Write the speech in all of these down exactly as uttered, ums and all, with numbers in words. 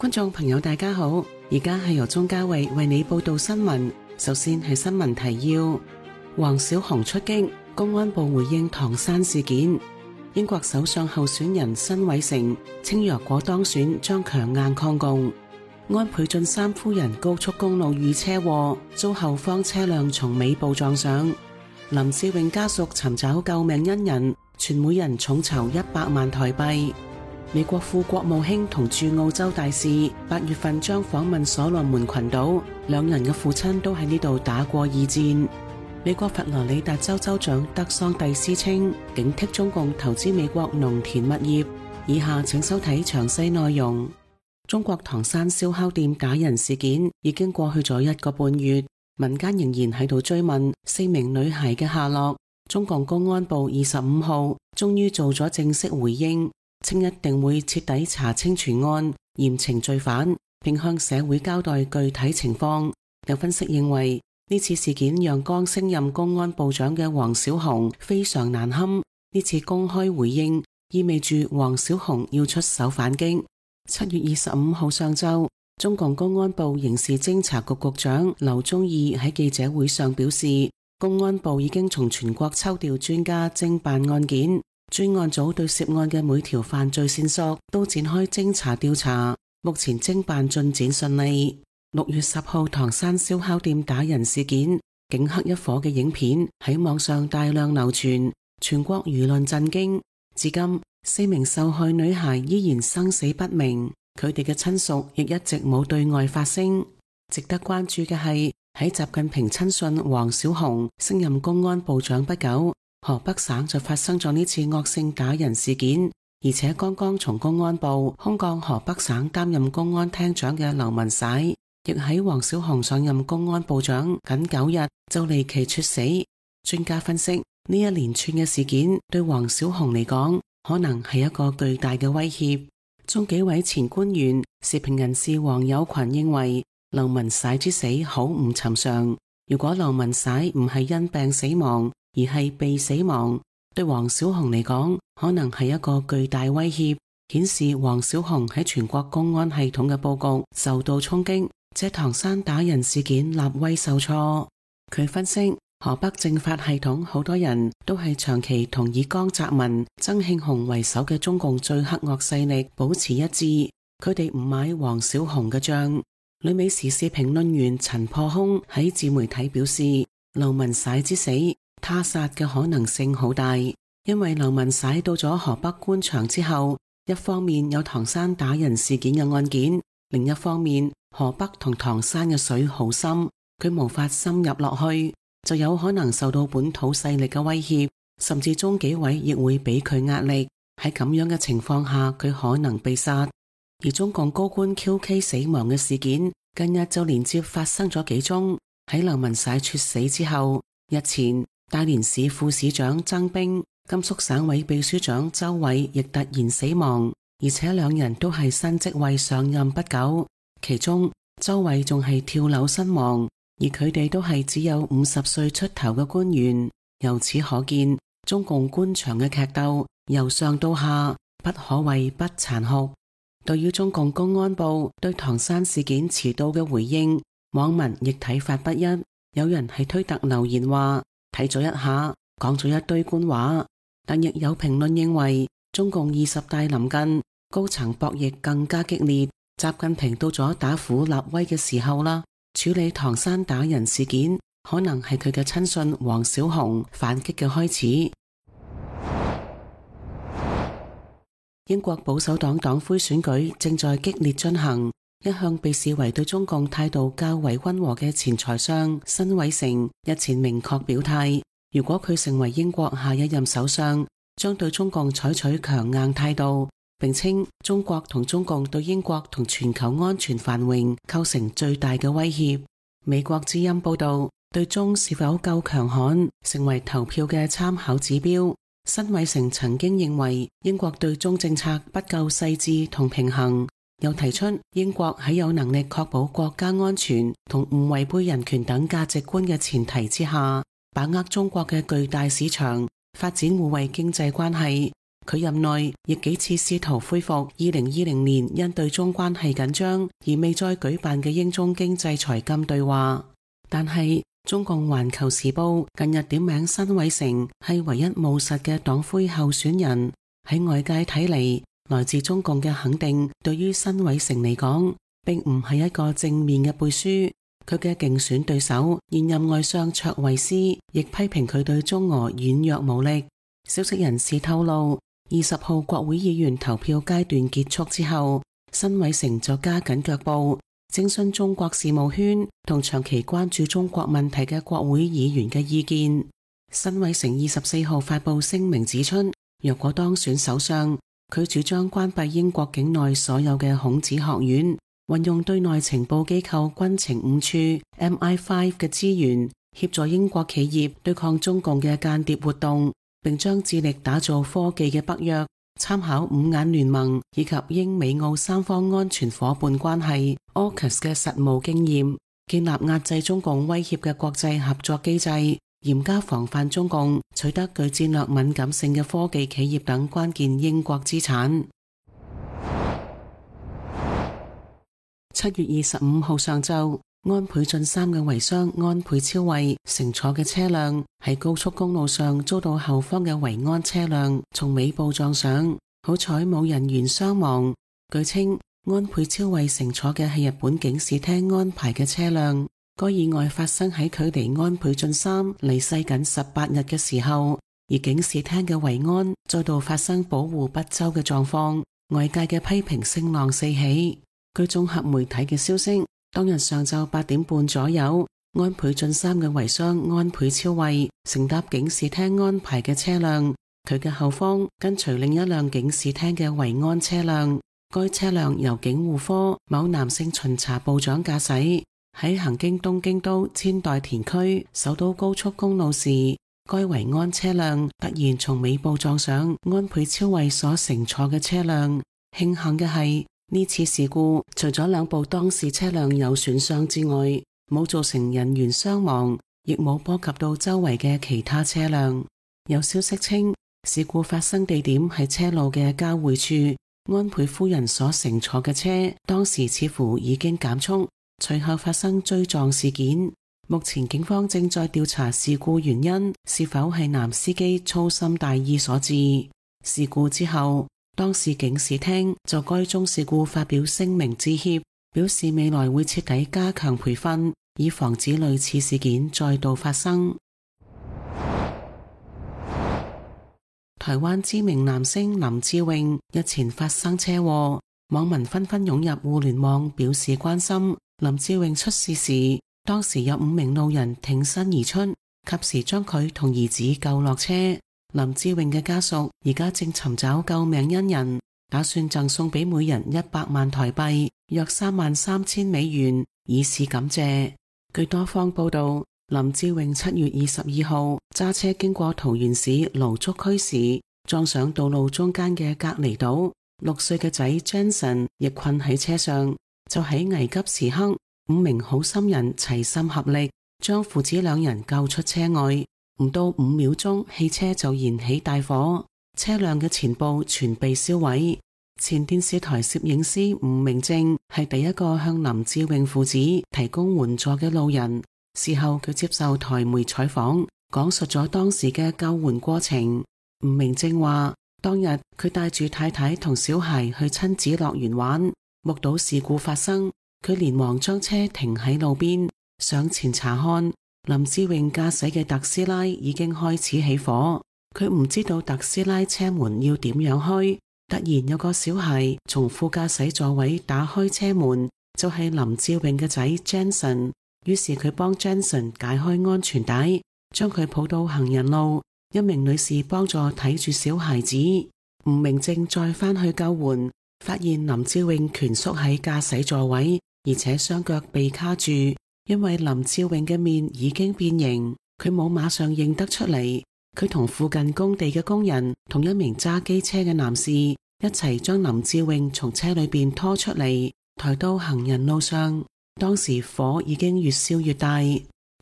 觀眾朋友大家好，而家係由鍾嘉慧為你報道新聞。首先係新聞提要：黃小紅出擊，公安部回應唐山事件。英國首相候選人辛偉誠稱若果當選將強硬抗共。安倍晉三夫人高速公路遇車禍，遭後方車輛從尾部撞上。林志穎家屬尋找救命恩人，全每人重籌一百萬台幣。美國副國務卿同駐澳洲大使八月份將訪問所羅門群島，兩人嘅父親都喺呢度打過二戰。美國佛羅里達州州長德桑蒂斯稱警惕中共投資美國農田物業。以下請收睇詳細內容。中國唐山燒烤店打人事件已經過去咗一個半月，民間仍然喺度追問四名女孩嘅下落。中共公安部二十五號終於做咗正式回應，稱一定會徹底查清全案，嚴懲罪犯，並向社會交代具體情況。有分析認為，呢次事件讓剛升任公安部長嘅黃小紅非常難堪。呢次公開回應意味住黃小紅要出手反擊。七月二十五號上晝，中共公安部刑事偵查局局長劉忠義喺記者會上表示，公安部已經從全國抽調專家偵辦案件。專案組對涉案嘅每條犯罪線索都展開偵查調查，目前偵辦進展順利。六月十號唐山燒烤店打人事件，警黑一伙嘅影片喺網上大量流傳，全國輿論震驚。至今四名受害女孩依然生死不明，佢哋嘅親屬亦一直冇對外發聲。值得關注嘅係，喺習近平親信黃小紅升任公安部長不久，河北省就發生咗呢次惡性打人事件，而且剛剛從公安部空降河北省擔任公安廳長嘅劉文璽，亦喺黃小紅上任公安部長僅九日就離奇猝死。專家分析，呢一連串嘅事件對黃小紅嚟講，可能係一個巨大嘅威脅。中紀委前官員、時評人士黃友群認為，劉文璽之死好唔尋常。如果劉文璽唔係因病死亡，而係被死亡，對黃小紅嚟講，可能係一個巨大威脅，顯示黃小紅喺全國公安系統嘅佈局受到衝擊，這唐山打人事件立威受挫。佢分析，河北政法系統好多人都係長期同以江澤民、曾慶紅為首嘅中共最黑惡勢力保持一致，佢哋唔買黃小紅嘅賬。旅美時事評論員陳破空喺自媒體表示，劉文璽之死他殺嘅可能性好大，因為劉文璽到咗河北官場之後，一方面有唐山打人事件嘅案件，另一方面河北同唐山嘅水好深，佢無法深入落去，就有可能受到本土勢力嘅威脅，甚至中紀委亦會俾佢壓力。喺咁樣嘅情況下，佢可能被殺。而中共高官 Q K 死亡嘅事件，近日就連接發生咗幾宗。喺劉文璽猝死之後，日前大連市副市長曾兵、甘肅省委秘書長周偉亦突然死亡，而且兩人都係新職位上任不久。其中周偉仲係跳樓身亡，而佢哋都係只有五十歲出頭嘅官員。由此可見，中共官場嘅劇鬥由上到下，不可謂不殘酷。對於中共公安部對唐山事件遲到嘅回應，網民亦睇法不一。有人喺推特留言話，睇咗一下，講咗一堆官話，但亦有評論認為，中共二十大臨近，高層博弈更加激烈，習近平到咗打虎立威嘅時候啦。處理唐山打人事件，可能係佢嘅親信黃小紅反擊嘅開始。英國保守黨黨魁選舉正在激烈進行，一向被視為對中共態度較為溫和嘅前財相辛偉誠日前明確表態，如果佢成為英國下一任首相，將對中共採取強硬態度，並稱中國同中共對英國同全球安全繁榮構成最大嘅威脅。美國之音報道，對中是否夠強悍成為投票嘅參考指標。辛偉誠曾經認為英國對中政策不夠細緻同平衡，又提出英國喺有能力確保國家安全同唔違背人權等價值觀嘅前提之下，把握中國嘅巨大市場，發展互惠經濟關係，佢任內亦幾次試圖恢復二零二零年因對中關係緊張而未再舉辦嘅英中經濟財金對話，但係中共環球時報近日點名辛偉誠係唯一務實嘅黨魁候選人。喺外界睇嚟，來自中共嘅肯定對於辛偉誠嚟講並唔係一個正面嘅背書。佢嘅競選對手現任外相卓慧思亦批評佢對中俄軟弱無力。消息人士透露，二十號國會議員投票階段結束之後，辛偉誠就加緊腳步徵詢中國事務圈同長期關注中國問題嘅國會議員嘅意見。辛偉誠二十四號發布聲明指出，若果當選首相，佢主張關閉英國境內所有嘅孔子學院，運用對內情報機構軍情五處 M I 五 嘅資源，協助英國企業對抗中共嘅間諜活動，並將致力打造科技嘅北約，參考五眼聯盟以及英美澳三方安全夥伴關係 A U K U S 嘅實務經驗，建立壓制中共威脅嘅國際合作機制，嚴加防範中共取得具戰略敏感性嘅科技企業等關鍵英國資產。七月二十五號上晝，安倍晉三嘅遺孀安倍昭惠乘坐嘅車輛喺高速公路上遭到後方嘅維安車輛從尾部撞上，好彩冇人員傷亡。據稱，安倍昭惠乘坐嘅係日本警視廳安排嘅車輛。該意外發生喺距離安倍晉三離世僅十八日嘅時候，而警視廳嘅維安再度發生保護不周嘅狀況，外界嘅批評聲浪四起。據綜合媒體嘅消息，當日上晝八點半左右，安倍晉三嘅遺孀安倍昭惠乘搭警視廳安排嘅車輛，佢嘅後方跟隨另一輛警視廳嘅維安車輛。該車輛由警護科某男性巡查部長駕駛，喺行經東京都千代田區首都高速公路時，該維安車輛突然從尾部撞上安倍昭惠所乘坐嘅車輛。慶幸嘅係，呢次事故除咗兩部當事車輛有損傷之外，冇造成人員傷亡，亦冇波及到周圍嘅其他車輛。有消息稱，事故發生地點係車路嘅交匯處，安倍夫人所乘坐嘅車當時似乎已經減速，隨後發生追撞事件。目前警方正在調查事故原因是否係男司機粗心大意所致。事故之後，當時警視廳就該宗事故發表聲明致歉，表示未來會徹底加強培訓，以防止類似事件再度發生。台灣知名男星林志穎日前發生車禍，網民紛紛湧入互聯網表示關心。林志穎出事時，當時有五名路人挺身而出，及時將佢同兒子救落車。林志穎嘅家屬而家正尋找救命恩人，打算贈送俾每人一百萬台幣，約三萬三千美元，以示感謝。據多方報道，林志穎七月二十二號揸車經過桃園市蘆竹區時，撞上道路中間嘅隔離島，六歲嘅仔 Jensen 亦困喺車上。就喺危急時刻，五名好心人齊心合力，將父子兩人救出車外。唔到五秒鐘，汽車就燃起大火，車輛嘅前部全被燒毀。前電視台攝影師吳明正係第一個向林志穎父子提供援助嘅路人。事後佢接受台媒採訪，講述咗當時嘅救援過程。吳明正話，當日佢帶住太太同小孩去親子樂園玩，目睹事故發生，佢連忙將車停喺路邊，上前查看。林志穎駕駛嘅特斯拉已經開始起火，佢唔知道特斯拉車門要點樣開，突然有個小孩從副駕駛座位打開車門，就係林志穎嘅仔 Jensen， 於是佢幫 Jensen 解開安全帶，將佢抱到行人路，一名女士幫助睇住小孩子。吳明正再返去救援，發現林志穎蜷縮喺駕駛座位，而且雙腳被卡住。因為林志穎嘅面已經變形，佢冇馬上認得出嚟。佢同附近工地嘅工人同一名揸機車嘅男士一齊將林志穎從車裏邊拖出嚟，抬到行人路上。當時火已經越燒越大。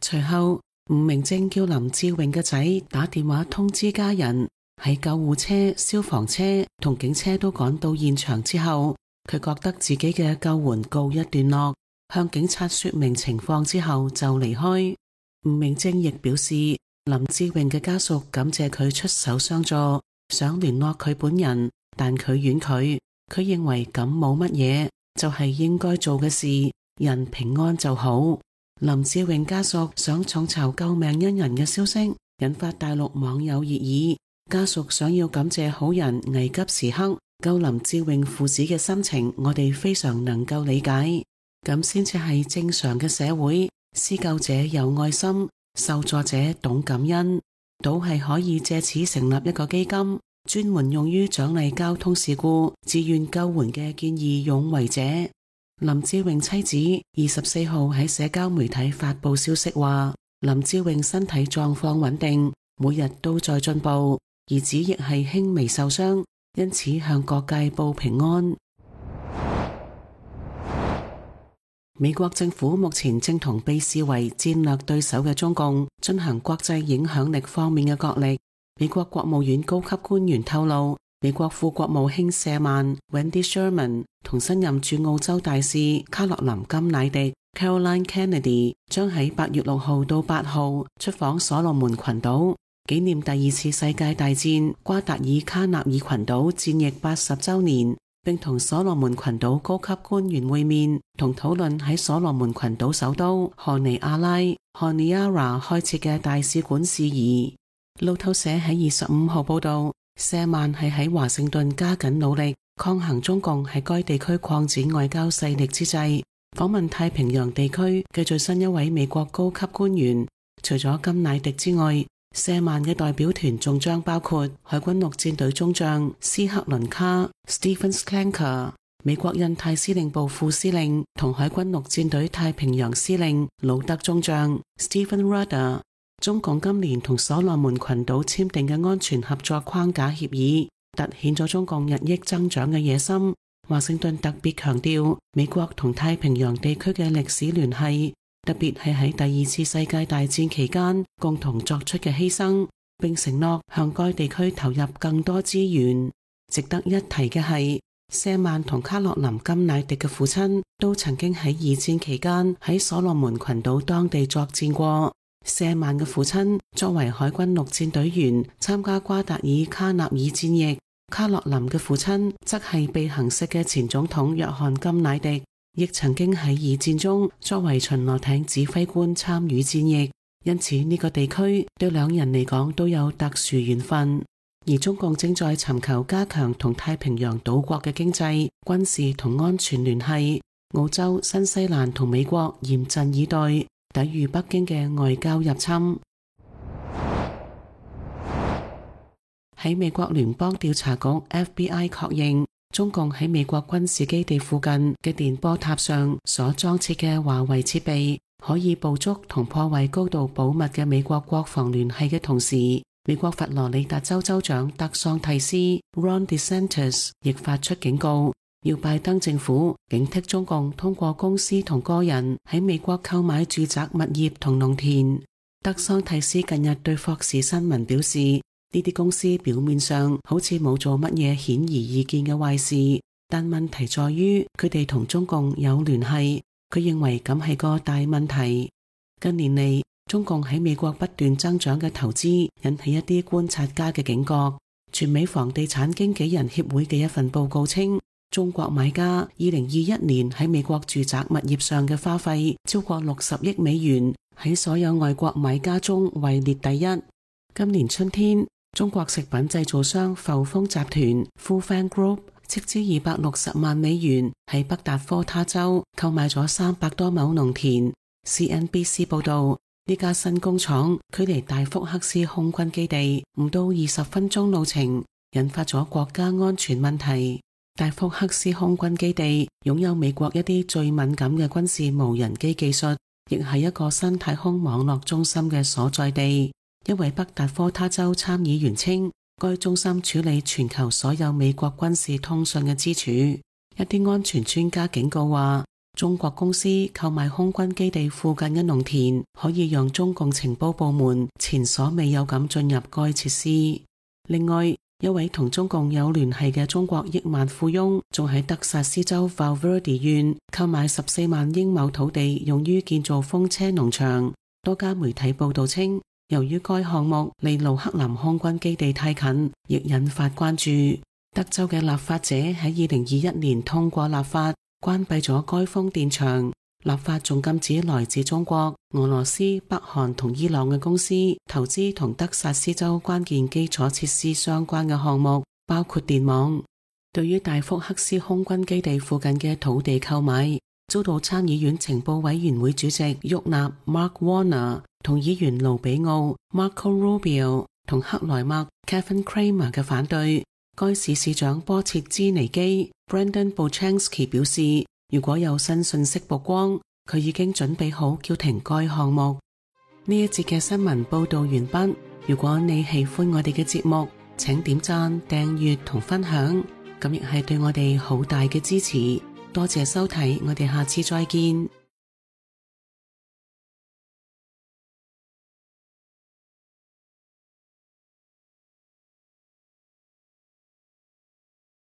隨後吳明正叫林志穎嘅仔打電話通知家人。喺救護車、消防車同警車都趕到現場之後，佢覺得自己嘅救援告一段落，向警察說明情況之後就離開。吳明正亦表示，林志穎嘅家屬感謝佢出手相助，想聯絡佢本人，但佢婉拒。佢認為咁冇乜嘢，就係應該做嘅事，人平安就好。林志穎家屬想眾籌救命恩人嘅消息，引發大陸網友熱議。家屬想要感謝好人危急時刻救林志穎父子嘅心情，我哋非常能夠理解。咁先至係正常嘅社會，施救者有愛心，受助者懂感恩，都係可以借此成立一個基金，專門用於獎勵交通事故自願救援嘅見義勇為者。林志穎妻子二十四號喺社交媒體發布消息話，林志穎身體狀況穩定，每日都在進步，兒子亦係輕微受傷，因此向各界報平安。美國政府目前正同被視為戰略對手嘅中共進行國際影響力方面嘅角力。美國國務院高級官員透露，美國副國務卿舍曼 Wendy Sherman 同新任駐澳洲大使卡洛琳甘乃迪 Caroline Kennedy 將喺八月六號到八號出訪所羅門群島，紀念第二次世界大戰瓜達爾卡納爾群島戰役八十週年，並同所羅門群島高級官員會面，同討論喺所羅門群島首都荷尼亞拉 Honiara 開設嘅大使館事宜。路透社喺二十五號報道，舍曼係喺華盛頓加緊努力抗衡中共喺該地區擴展外交勢力之際，訪問太平洋地區嘅最新一位美國高級官員。除咗甘乃迪之外，舍曼嘅代表團仲將包括海軍陸戰隊中將斯克倫卡 Stephen Schlenker、美國印太司令部副司令同海軍陸戰隊太平洋司令魯德中將 Stephen Rudder。中共今年同所羅門群島簽訂嘅安全合作框架協議，凸顯咗中共日益增長嘅野心。華盛頓特別強調美國同太平洋地區嘅歷史聯繫，特別係喺第二次世界大戰期間共同作出嘅犧牲，並承諾向該地區投入更多資源。值得一提嘅係，舍曼同卡洛琳甘乃迪嘅父親都曾經喺二戰期間喺所羅門群島當地作戰過。舍曼嘅父親作為海軍陸戰隊員參加瓜達爾卡納爾戰役，卡洛琳嘅父親則係被行刺嘅前總統約翰甘乃迪，亦曾經喺二戰中作為巡邏艇指揮官參與戰役，因此呢個地區對兩人嚟講都有特殊緣分。而中共正在尋求加強同太平洋島國嘅經濟、軍事同安全聯繫，澳洲、新西蘭同美國嚴陣以待，抵禦北京嘅外交入侵。喺美國聯邦調查局 F B I 確認，中共喺美國軍事基地附近嘅電波塔上所裝設嘅華為設備，可以捕捉同破壞高度保密嘅美國國防聯繫嘅同時，美國佛羅里達州州長德桑蒂斯 Ron DeSantis 亦發出警告，要拜登政府警惕中共通過公司同個人喺美國購買住宅物業同農田。德桑蒂斯近日對霍士新聞表示，呢啲公司表面上好似冇做乜嘢顯而易見嘅壞事，但問題在於佢哋同中共有聯繫，佢認為咁係個大問題。近年嚟，中共喺美國不斷增長嘅投資引起一啲觀察家嘅警覺。全美房地產經紀人協會嘅一份報告稱，中國買家二零二一年喺美國住宅物業上嘅花費超過六十億美元，喺所有外國買家中位列第一。今年春天，中國食品製造商阜豐集團 Foodfang Group 斥資二百六十萬美元喺北達科他州購買咗三百多畝農田。C N B C 報道，呢家新工廠距離大福克斯空軍基地唔到二十分鐘路程，引發咗國家安全問題。大福克斯空軍基地擁有美國一啲最敏感嘅軍事無人機技術，亦係一個新太空網絡中心嘅所在地。一位北達科他州參議員稱，該中心處理全球所有美國軍事通訊嘅支柱。一啲安全專家警告話，中國公司購買空軍基地附近嘅農田，可以讓中共情報部門前所未有咁進入該設施。另外，一位同中共有聯繫嘅中國億萬富翁，仲喺德薩斯州 Valverde 縣購買十四萬英畝土地，用於建造風車農場。多家媒體報道稱，由於該項目離盧克蘭空軍基地太近，亦引發關注。德州嘅立法者喺二零二一年通過立法，關閉咗該風電場。立法仲禁止來自中國、俄羅斯、北韓同伊朗嘅公司投資同德薩斯州關鍵基礎設施相關嘅項目，包括電網。對於大福克斯空軍基地附近嘅土地購買，遭到參議院情報委員會主席沃納 Mark Warner 同議員盧比奧 Marco Rubio 同克萊默 Kevin Cramer 嘅反對。該市市長波切茲尼基 Brandon Buchanski 表示，如果有新信息曝光，佢已經準備好叫停該項目。呢一節嘅新聞報道完畢。如果你喜歡我哋嘅節目，請點讚、訂閱同分享，咁亦係對我哋好大嘅支持。多謝收睇，我哋下次再見。